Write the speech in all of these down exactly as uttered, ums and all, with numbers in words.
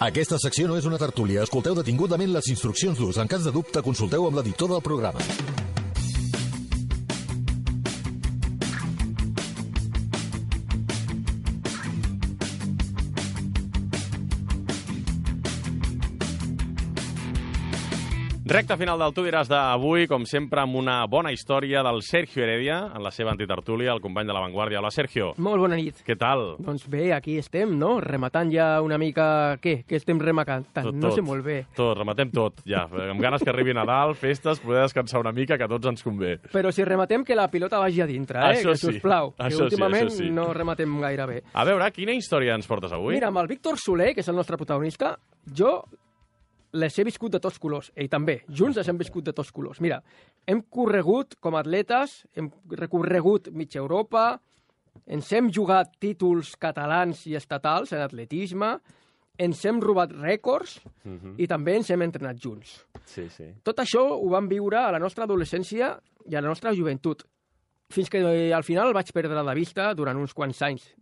Aquesta secció no és una tertúlia. Escolteu detingudament les instruccions d'ús. En cas de dubte, consulteu amb l'editor del programa. Recte final del Tu diràs d'avui, com sempre, amb una bona història del Sergio Heredia, en la seva antitertúlia, el company de La Vanguardia. Hola, Sergio. Molt bona nit. Què tal? Doncs bé, aquí estem, no? Rematant ja una mica... Què? Què estem rematant? Tot, No tot. sé molt bé. Tot, rematem tot, ja. Amb ganes que arribi Nadal, festes, poder descansar una mica, que a tots ens convé. Però si rematem, que la pilota vagi a dintre, eh? Això que, sí. sisplau, Això que sí, últimament això sí. no rematem gaire bé. A veure, quina història ens portes avui? Mira, amb el Víctor Soler, que és el nostre protagonista, jo les he viscut de tots colors. Ell també. Junts les hem viscut de tots colors. Mira, hem corregut com a atletes, hem recorregut mitja Europa, ens hem jugat títols catalans i estatals en atletisme, ens hem robat rècords Mhm. i també ens hem entrenat junts. Sí, sí. Tot això ho vam viure a la nostra adolescència i a la nostra joventut, fins que eh, al final el vaig perdre de vista durant uns quants anys.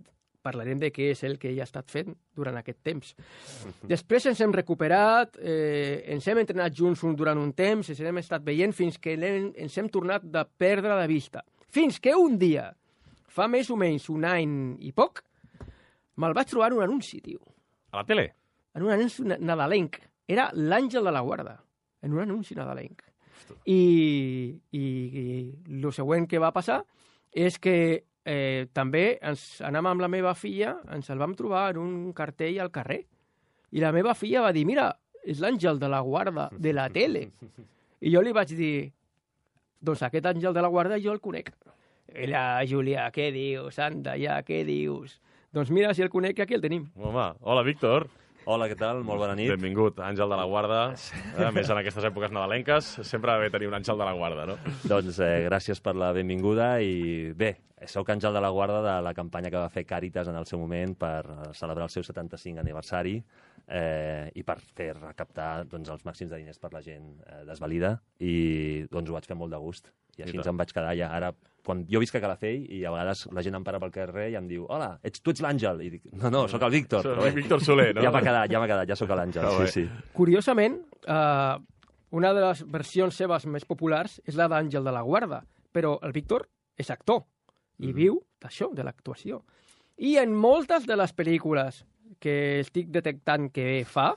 Parlarem de què és el que ell ha estat fent durant aquest temps. Després ens hem recuperat, eh, ens hem entrenat junts un, durant un temps, ens hem estat veient fins que l'hem- ens hem tornat de perdre de vista. Fins que un dia, fa més o menys un any i poc, me'l vaig trobar en un anunci, tio. A la tele? En un anunci na- nadalenc. Era l'Àngel de la Guarda, en un anunci nadalenc. I, i, i el següent que va passar és que eh, també ens anàvem amb la meva filla, ens el vam trobar en un cartell al carrer. I la meva filla va dir, mira, és l'Àngel de la Guarda de la tele. I jo li vaig dir, doncs aquest Àngel de la Guarda jo el conec. Ella, Júlia, què dius? Anda, ja, què dius? Doncs mira, si el conec, aquí el tenim. Home, hola, Víctor. Hola, què tal? Molt bona nit. Benvingut, Àngel de la Guarda. A més, en aquestes èpoques nadalenques, sempre va bé tenir un Àngel de la Guarda, no? Doncs eh, gràcies per la benvinguda i bé, sóc Àngel de la Guarda de la campanya que va fer Càritas en el seu moment per eh, celebrar el seu setanta-cinc aniversari eh, i per fer recaptar doncs, els màxims de diners per la gent eh, desvalida i doncs ho vaig fer molt de gust. I així I ens em vaig quedar ja. Ara, quan jo visc a Calafell i a vegades la gent em para pel carrer i em diu hola, ets, tu ets l'Àngel. I dic, no, no, sóc el Víctor. Soc Però bé, Víctor Soler, no? Ja m'ha quedat, ja m'ha quedat, ja sóc l'Àngel, Que bé. sí, sí. Curiosament, eh, una de les versions seves més populars és la d'Àngel de la Guarda, però el Víctor és actor i viu d'això, de l'actuació. I en moltes de les pel·lícules que estic detectant que fa,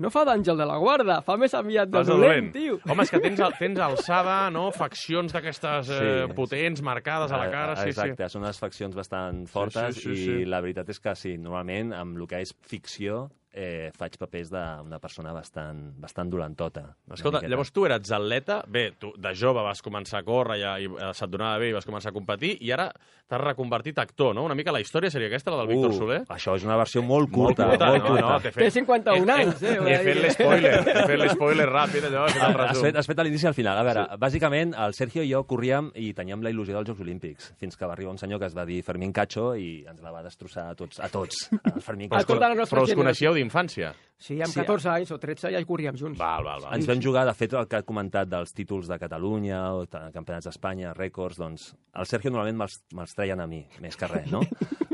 no fa d'Àngel de la Guarda, fa més aviat de Fas de dolent, dolent. tio. Home, és que tens, tens alçada, no? Faccions d'aquestes eh, Sí. potents, marcades a la cara. Sí, Exacte, són unes faccions bastant fortes sí, sí, i sí. la veritat és que sí, normalment amb el que és ficció eh, faig papers d'una persona bastant, bastant dolentota. una Escolta, miqueta. llavors tu eres atleta, bé, tu de jove vas començar a córrer ja, i eh, se't donava bé i vas començar a competir, i ara t'has reconvertit actor, no? Una mica la història seria aquesta, la del Víctor Uh, Soler? Això és una versió molt curta. Molt curta, molt no, curta. no, t'he Té fet... cinquanta-un anys, eh? He fet l'espoiler, he fet l'espoiler ràpid, allò, he fet el Has resum. fet, has fet a l'inici i al final. A veure, sí. Bàsicament, el Sergio i jo corríem i teníem la il·lusió dels Jocs Olímpics, fins que va arribar un senyor que es va dir Fermín Cacho i ens la va destrossar a tots. A tots. El Fermín A Cacho. tota la nostra Però us generació. coneixeu d'infància? Sí, amb Sí, catorze anys o tretze ja hi corríem junts. Val, val, val. Ens vam jugar, de fet, el que ha comentat dels títols de Catalunya, o de campionats d'Espanya, rècords, doncs el Sergio normalment me'ls me'ls treien a mi, més que res, no?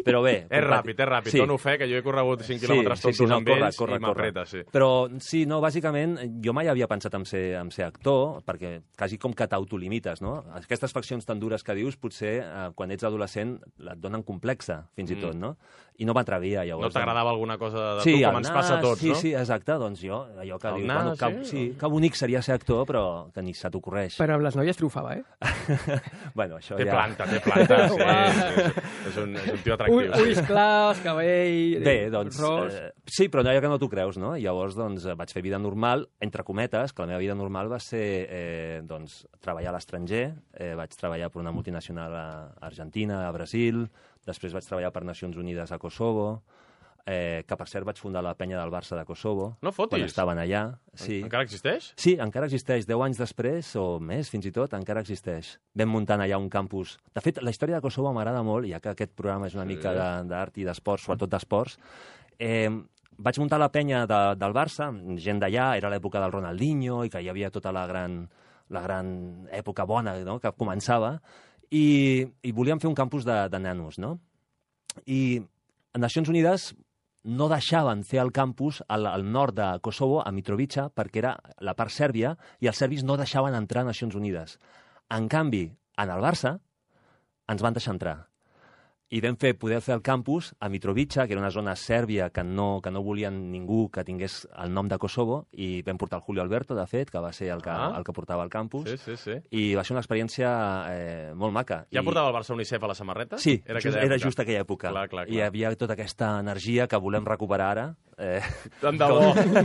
Però bé... És ràpid, és ràpid. Sí. Dono fe que jo he corregut cinc quilòmetres sí, tots sí, sí, no, amb corre, ells corre, i m'apreta, sí. Però sí, no, bàsicament, jo mai havia pensat en ser, en ser actor, perquè quasi com que t'autolimites, no? Aquestes faccions tan dures que dius, potser eh, quan ets adolescent et donen complexa, fins i tot, no? I no m'atrevia, llavors. No t'agradava alguna cosa de sí, tu, com el ens nas, passa a tots, sí, no? Sí, exacte, doncs jo, allò que El dius, nas, bueno, que, sí? sí, que bonic seria ser actor, però que ni se t'ocorreix. Però amb les noies triomfava, eh? Bueno, això Té ja... planta, té planta, sí. Uau. és, és, un, és un tio Ui, atractiu. ulls clars, cabell, Bé, doncs, ros... eh, sí, però allò que no t'ho creus, no? Llavors, doncs, eh, vaig fer vida normal, entre cometes, que la meva vida normal va ser, eh, doncs, treballar a l'estranger, eh, vaig treballar per una multinacional a Argentina, a Brasil, després vaig treballar per Nacions Unides a Kosovo, eh, que per cert vaig fundar la penya del Barça de Kosovo. No fotis. Quan estaven allà. Sí. Encara existeix? Sí, encara existeix. Deu anys després, o més, fins i tot, encara existeix. Vam muntant allà un campus... De fet, la història de Kosovo m'agrada molt, ja que aquest programa és una Sí. mica de- d'art i d'esports, sobretot d'esports. Eh, vaig muntar la penya de, del Barça, gent d'allà, era l'època del Ronaldinho, i que hi havia tota la gran, la gran època bona, no?, que començava, i, i volíem fer un campus de, de nanos, no? I a Nacions Unides no deixaven fer el campus al, al nord de Kosovo, a Mitrovica, perquè era la part sèrbia, i els serbis no deixaven entrar a Nacions Unides. En canvi, en el Barça, ens van deixar entrar. I vam fer, poder fer el campus a Mitrovica, que era una zona sèrbia que no, que no volien ningú que tingués el nom de Kosovo, i vam portar el Julio Alberto, de fet, que va ser el que, Ah. el que portava el campus. Sí, sí, sí. I va ser una experiència eh, molt maca. Ja I... portava el Barça Unicef a la samarreta? Sí, era, just, era just aquella època. Clar, clar, clar. I hi havia tota aquesta energia que volem recuperar ara. Eh, Tant de bo,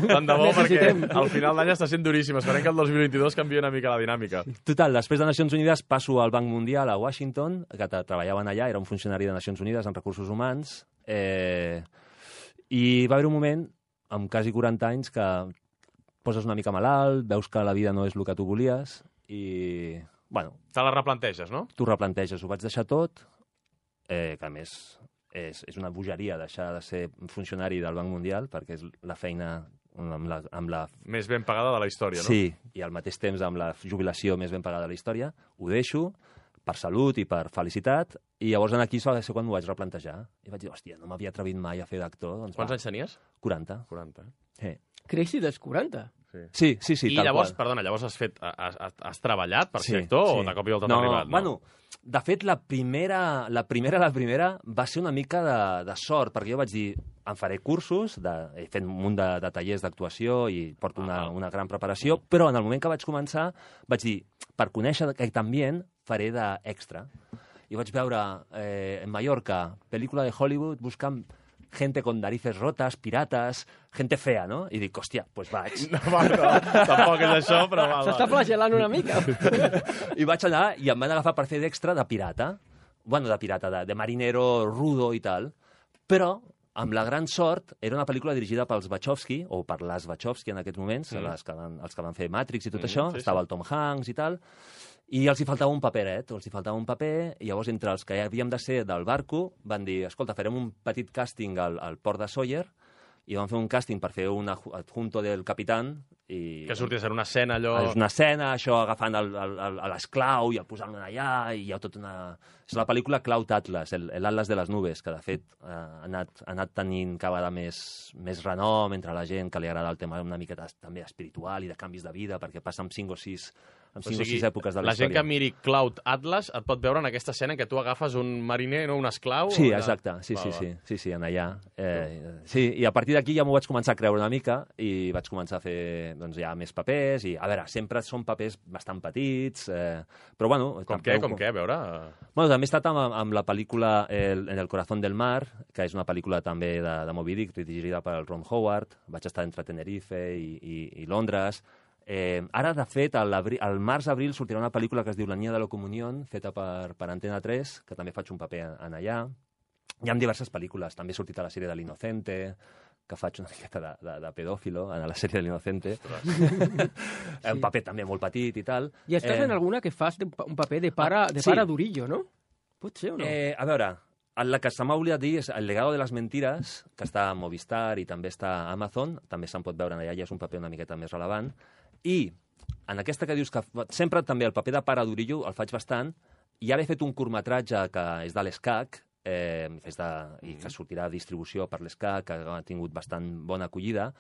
tant de bo, perquè Necessitem. al final d'any està sent duríssim. Esperem que el dos mil vint-i-dos canviï una mica la dinàmica. Total, després de Nacions Unides passo al Banc Mundial a Washington, que treballaven allà, era un funcionari de Nacions Unides en recursos humans, eh, i va haver un moment, amb quasi quaranta anys, que poses una mica malalt, veus que la vida no és el que tu volies, i, bueno... Te la replanteges, no? Tu replanteges, ho vaig deixar tot, eh, que a més és, és una bogeria deixar de ser funcionari del Banc Mundial, perquè és la feina amb la, amb la... Més ben pagada de la història, no? Sí, i al mateix temps amb la jubilació més ben pagada de la història, ho deixo per salut i per felicitat, i llavors aquí va ser quan m'ho vaig replantejar. I vaig dir, hòstia, no m'havia atrevit mai a fer d'actor. Doncs Quants va, anys tenies? quaranta. quaranta. Sí, Creixi dels quaranta. sí, sí, sí I tal llavors, qual. perdona, llavors has, fet, has, has, has treballat per Sí, ser actor sí. o de cop i volta no, t'ha arribat? Bueno, de fet, la primera, la primera, la primera va ser una mica de, de sort, perquè jo vaig dir, em faré cursos, de, he fet un munt de, de tallers d'actuació i porto una, Ah. una gran preparació, però en el moment que vaig començar vaig dir, per conèixer aquest ambient, faré d'extra. I vaig veure eh, en Mallorca, pel·lícula de Hollywood, buscant gente con narices rotas, pirates, gente fea, no? I dic, hòstia, doncs pues vaig. No, va, no, tampoc és això, però va, S'està va. flagelant una mica. I vaig anar i em van agafar per fer d'extra de pirata. Bueno, de pirata, de, de marinero rudo i tal. Però, amb la gran sort, era una pel·lícula dirigida pels Wachowski, o per les Wachowski en aquests moments, Mm. les que van, els que van fer Matrix i tot Mm, això. sí, Estava sí. el Tom Hanks i tal. I els hi faltava un paperet, els hi faltava un paper, i llavors entre els que ja havíem de ser del barco van dir, escolta, farem un petit càsting al, al port de Sawyer, i vam fer un càsting per fer un adjunto del capitán, i... Que sortia a ser una escena allò... És una escena, això agafant el- el- el- a l'esclau i el posant allà, i hi ha tota una... És la pel·lícula Cloud Atlas, el, el Atlas de les nubes, que de fet eh, ha, anat, ha anat tenint cada vegada més, més renom entre la gent que li agrada el tema una miqueta també espiritual i de canvis de vida, perquè passa amb cinc o sis, amb O cinc o sigui, sis èpoques de la, la gent història. que miri Cloud Atlas et pot veure en aquesta escena en què tu agafes un mariner, no? Un esclau... Sí, o allà? exacte, sí, Va, sí, va. sí, sí, sí, en allà. Eh, sí, i a partir d'aquí ja m'ho vaig començar a creure una mica i vaig començar a fer doncs, ja més papers i, a veure, sempre són papers bastant petits, eh, però bueno... Com també què, ho- com què, a veure... Bueno, també he estat amb, amb la pel·lícula el, En el corazón del mar, que és una pel·lícula també de, de Moby Dick, dirigida per Ron Howard. Vaig estar entre Tenerife i, i, i Londres. Eh, ara, de fet, al, al març-abril sortirà una pel·lícula que es diu La niña de la comunión, feta per, per Antena tres, que també faig un paper en, en allà. Hi ha diverses pel·lícules. També he sortit a la sèrie de l'Inocente, que faig una miqueta de, de, de pedòfilo en la sèrie de l'Inocente. Un paper també molt petit i tal. I estàs Eh, en alguna que fas de, un paper de pare, Ah, de sí. pare d'Urillo, no? Pot ser o no? Eh, a veure, la que se m'ha oblidat dir és El legado de les mentires, que està a Movistar i també està a Amazon, també se'n pot veure allà, ja és un paper una miqueta més relevant. I en aquesta que dius que sempre també el paper de pare d'Urillo el faig bastant, i ara he fet un curtmetratge que és de l'Escac, eh, és de, i que sortirà a distribució per l'Escac, que ha tingut bastant bona acollida,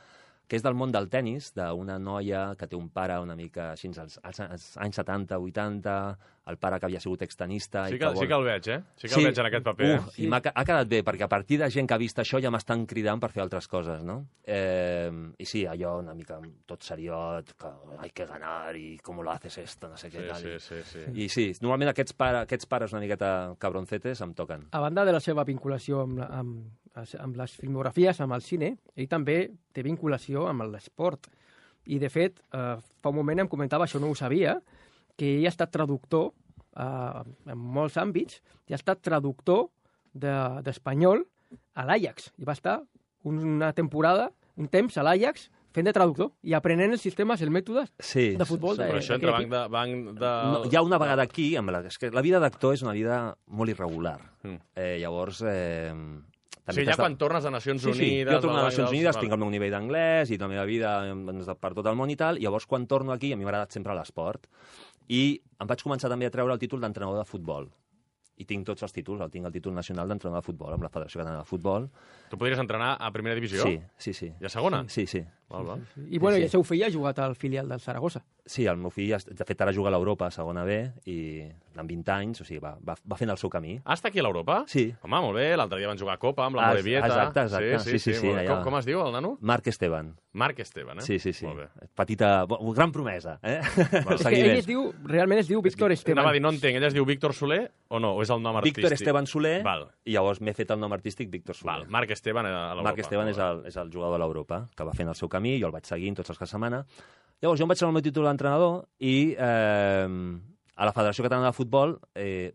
que és del món del tennis, d'una noia que té un pare una mica així als, als, als anys setanta, vuitanta, el pare que havia sigut extenista... Sí i que, que vol... sí que el veig, eh? Sí que el veig en aquest paper. Uh, eh? I m'ha ha quedat bé, perquè a partir de gent que ha vist això ja m'estan cridant per fer altres coses, no? Eh, I sí, allò una mica tot seriot, que hay que ganar i com lo haces esto, no sé què Sí, tal. sí, sí, sí. I sí, normalment aquests, pare, aquests pares una miqueta cabroncetes em toquen. A banda de la seva vinculació amb, la, amb, amb les filmografies, amb el cine, ell també té vinculació amb l'esport. I, de fet, eh, fa un moment em comentava, això no ho sabia, que ell ha estat traductor eh, en molts àmbits, i ha estat traductor d'espanyol de, a l'Ajax. I va estar una temporada, un temps a l'Ajax, fent de traductor i aprenent els sistemes, els mètodes Sí, de futbol. sí, de, Però això entre banc de... Banc de... No, hi ha una vegada aquí, amb la, és que la vida d'actor és una vida molt irregular. Mm. Eh, llavors... Eh, O sigui, ja quan tornes a Nacions Sí, sí, Unides... jo torno a la- Nacions la- Unides, val. tinc el meu nivell d'anglès i la meva vida doncs, per tot el món i tal, i llavors quan torno aquí, a mi m'ha agradat sempre l'esport, i em vaig començar també a treure el títol d'entrenador de futbol. i tinc tots els títols. El tinc el títol nacional d'entrenador de futbol amb la Federació Catalana de Futbol. Tu podries entrenar a primera divisió? Sí, sí, sí. I a segona? Sí, sí. Val, val. I, bueno, Sí, sí. i el seu fill ha jugat al filial del Saragossa. Sí, el meu fill, de fet, ara juga a l'Europa, a segona B, i amb vint anys, o sigui, va, va, va fent el seu camí. Ah, està aquí a l'Europa? Sí. Home, molt bé, l'altre dia van jugar a Copa amb la Ah, Morevieta. exacte, exacte. Sí, sí, sí, molt bé. allà. Com, com es diu, el nano? Marc Esteban. Marc Esteban, eh? Sí, sí, sí. Molt bé. Petita, bo- gran promesa, eh? És que ell es diu, realment es diu Víctor Esteban. Anava a dir, no entenc, ell es diu Víctor Soler o no? O és el nom artístic? Víctor Esteban Soler, Val. i llavors m'he fet el nom artístic Víctor Soler. Val, Marc Esteban a l'Europa. Marc Esteban és el, és el jugador de l'Europa, que va fent el seu camí, jo el vaig seguint tots els que setmana. Llavors, jo em vaig treure el meu títol d'entrenador i eh, a la Federació Catalana de Futbol, eh,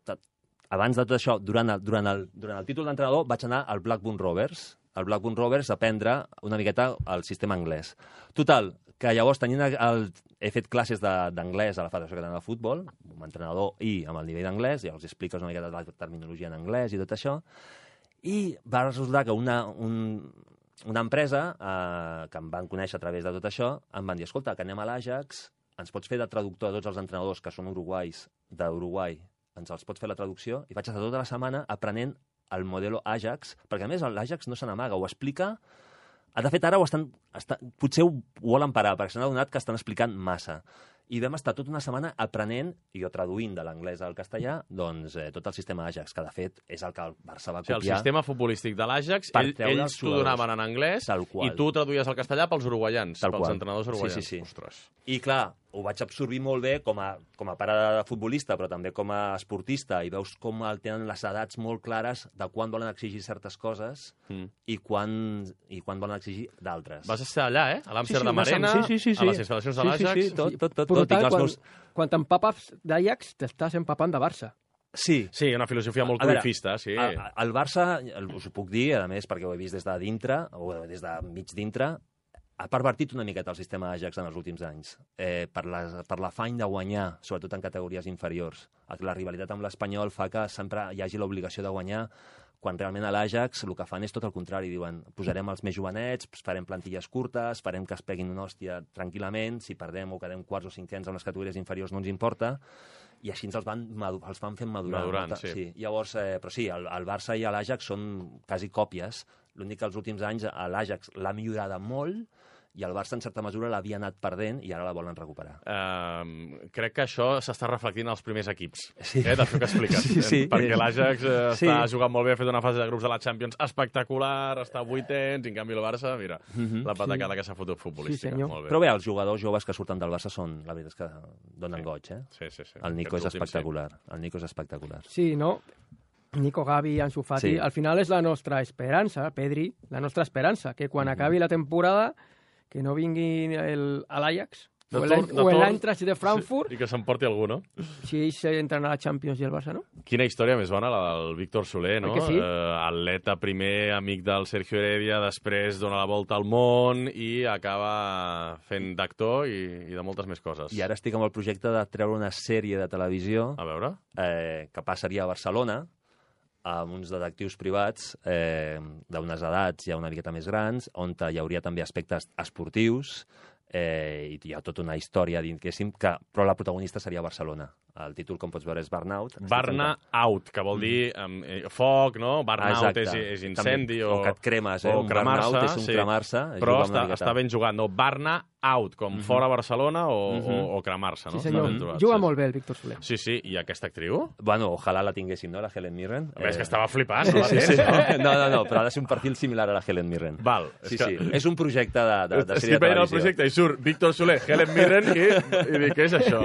abans de tot això, durant el, durant el, durant el títol d'entrenador, vaig anar al Blackburn Rovers, al Blackburn Rovers a aprendre una miqueta el sistema anglès. Total, que llavors tenint el, he fet classes d'anglès a la Federació Catalana de Futbol, com a entrenador i amb el nivell d'anglès, i els expliques una miqueta de la terminologia en anglès i tot això, i va resultar que una, un, una empresa eh, que em van conèixer a través de tot això, em van dir, escolta, que anem a l'Ajax, ens pots fer de traductor de tots els entrenadors que són uruguais d'Uruguai, ens els pots fer la traducció, i vaig estar tota la setmana aprenent el modelo Ajax, perquè a més l'Ajax no se n'amaga, ho explica. De fet, ara ho estan, està, potser ho volen parar, perquè s'han adonat que estan explicant massa. I vam estar tota una setmana aprenent, i jo traduint de l'anglès al castellà, doncs eh, tot el sistema Ajax, que de fet és el que el Barça va O sigui, copiar. el sistema futbolístic de l'Ajax, Per ell, treure ells els t'ho jugadors. donaven en anglès Tal qual. i tu ho traduïes al castellà pels uruguaians, Tal pels qual. entrenadors uruguaians. Sí, sí, sí. Ostres. I clar, ho vaig absorbir molt bé com a, com a pare de futbolista, però també com a esportista, i veus com el tenen les edats molt clares de quan volen exigir certes coses Mm. i, quan, i quan volen exigir d'altres. Vas estar allà, eh? A l'Amsterdam vas amb- Arena, sí, sí, sí, sí. a les instal·lacions de Sí, sí, l'Ajax. sí, tot, tot, tot. Brutal, tot. Tinc els quan, meus... quan t'empapes d'Ajax, t'estàs empapant de Barça. Sí, Sí, una filosofia molt A veure, cruifista, sí. El, el Barça, el- us ho puc dir, a més, perquè ho he vist des de dintre, o des de mig dintre, ha pervertit una miqueta el sistema Ajax en els últims anys, eh, per la- per l'afany de guanyar, sobretot en categories inferiors. La rivalitat amb l'Espanyol fa que sempre hi hagi l'obligació de guanyar, quan realment a l'Ajax el que fan és tot el contrari, diuen posarem els més jovenets, farem plantilles curtes, farem que es peguin una hòstia tranquil·lament, si perdem o quedem quarts o cinquens en les categories inferiors no ens importa, i així ens els van, madu- els van fent madurar. Madurant, Molta- sí. sí. Llavors, eh, però sí, el, el Barça i l'Ajax són quasi còpies. L'únic que els últims anys l'Ajax l'ha millorada molt i el Barça, en certa mesura, l'havia anat perdent i ara la volen recuperar. Uh, crec que això s'està reflectint als primers equips, Sí. eh, del que expliques. Sí, sí. Perquè l'Ajax eh, Sí. està jugant molt bé, ha fet una fase de grups de la Champions espectacular, està a vuitens, i en canvi el Barça, mira, Mhm. la patacada que s'ha fotut futbolística. Sí, senyor. Molt bé. Però bé, els jugadors joves que surten del Barça són, la veritat és que donen Sí. goig, eh? Sí, sí, sí. El Nico és Aquests últims, espectacular. El Nico és espectacular. Sí, no? Nico, Gavi, Ansu Fati, Sí. al final és la nostra esperança, Pedri, la nostra esperança, que quan acabi la temporada que no vingui el- a l'Ajax De o torn- el- de o torn- l'Eintracht de Frankfurt, Sí, i que s'emporti algú, no? si ells entren a la Champions i el Barça no. Quina història més bona, la del Víctor Soler, no? Oi que sí? Eh, atleta primer, amic del Sergio Heredia, després dona la volta al món i acaba fent d'actor i, i de moltes més coses. I ara estic amb el projecte de treure una sèrie de televisió A veure? eh, que passaria a Barcelona amb uns detectius privats eh, d'unes edats ja una miqueta més grans, on hi hauria també aspectes esportius eh, i hi ha tota una història, diguéssim, que, però la protagonista seria Barcelona. El títol, com pots veure, és Burnout. Estic Barna fent- out, que vol dir um, eh, foc, no? Burnout és, Exacte. és incendi o... o que et cremes, eh? o Un cremar-se, burnout és un sí. cremar-se. Però jugar una està, miqueta. està ben jugat, no? Barna out, com fora Barcelona o, Mhm. o, o cremar-se, no? Sí, Està senyor. ben trobat, Juga sí. molt bé el Víctor Soler. Sí, sí, i aquesta actriu? Bueno, ojalà la tinguéssim, no?, la Helen Mirren. A més, Eh, que estava flipant, no la Sí, tens, sí. no? No, no, no, però ha de ser un perfil similar a la Helen Mirren. Val. Sí, és que... sí. És un projecte de, de, de Estic sèrie de veient el televisió. projecte i surt Víctor Soler, Helen Mirren i, i dic, què és això?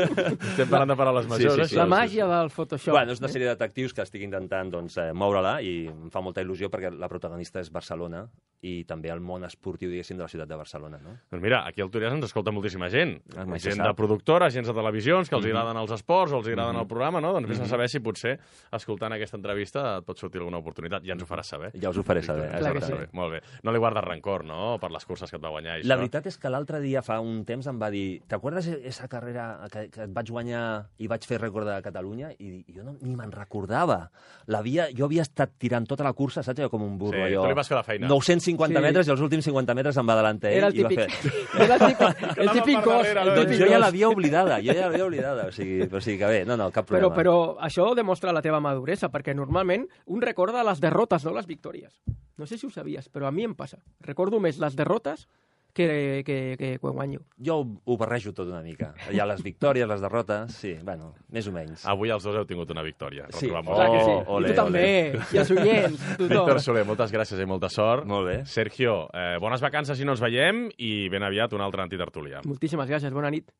Estem parlant de paraules Sí, majors, sí, això? sí. La màgia del Photoshop. Bueno, és una sèrie de detectius que estic intentant doncs, eh, moure-la i em fa molta il·lusió perquè la protagonista és Barcelona i també el món esportiu, diguéssim, de la ciutat de Barcelona, no? Doncs mira, aquí al Túries ens escolta moltíssima gent. Ah, mai se gent sap. de productores, gent de televisions, que els Mhm. agraden els esports o els agraden Mhm. el programa, no? Doncs vés a Mhm. saber si potser, escoltant aquesta entrevista, et pot sortir alguna oportunitat. Ja ens ho faràs saber. Ja us ho faré saber. Ens ho Clar que faràs sí. saber. Molt bé. No li guardes rancor, no?, per les curses que et va guanyar. i La això. veritat és que l'altre dia, fa un temps, em va dir «T'acordes esa carrera que, que et vaig guanyar i vaig fer rècord de Catalunya?» I jo no, ni me'n recordava. L'havia, jo havia estat tirant tota la cursa, saps? Jo com un burro, Sí, allò. tu li vas fer la feina. nou-cents cinquanta Sí. metres i els últims cinquanta metres em va adelantar ell. Era el i va típic. Fer... És el típic, el típic gos. El Doncs típic jo ja gos. l'havia oblidada, jo ja l'havia oblidada. O sigui, o sigui que bé, no, no, cap Però, problema. però això demostra la teva maduresa, perquè normalment un recorda les derrotes, no les victòries. No sé si ho sabies, però a mi em passa. Recordo més les derrotes que, que, que quan guanyo. Jo ho, ho barrejo tot una mica. Hi ha les victòries, les derrotes, sí, bueno, més o menys. Avui els dos heu tingut una victòria. Sí. Retrobem-ho. Clar que sí. Oh, ole, I tu també, i els oients, tothom. Víctor Soler, moltes gràcies i molta sort. Molt bé. Sergio, eh, bones vacances si no ens veiem i ben aviat un altre antitertulià. Moltíssimes gràcies, bona nit.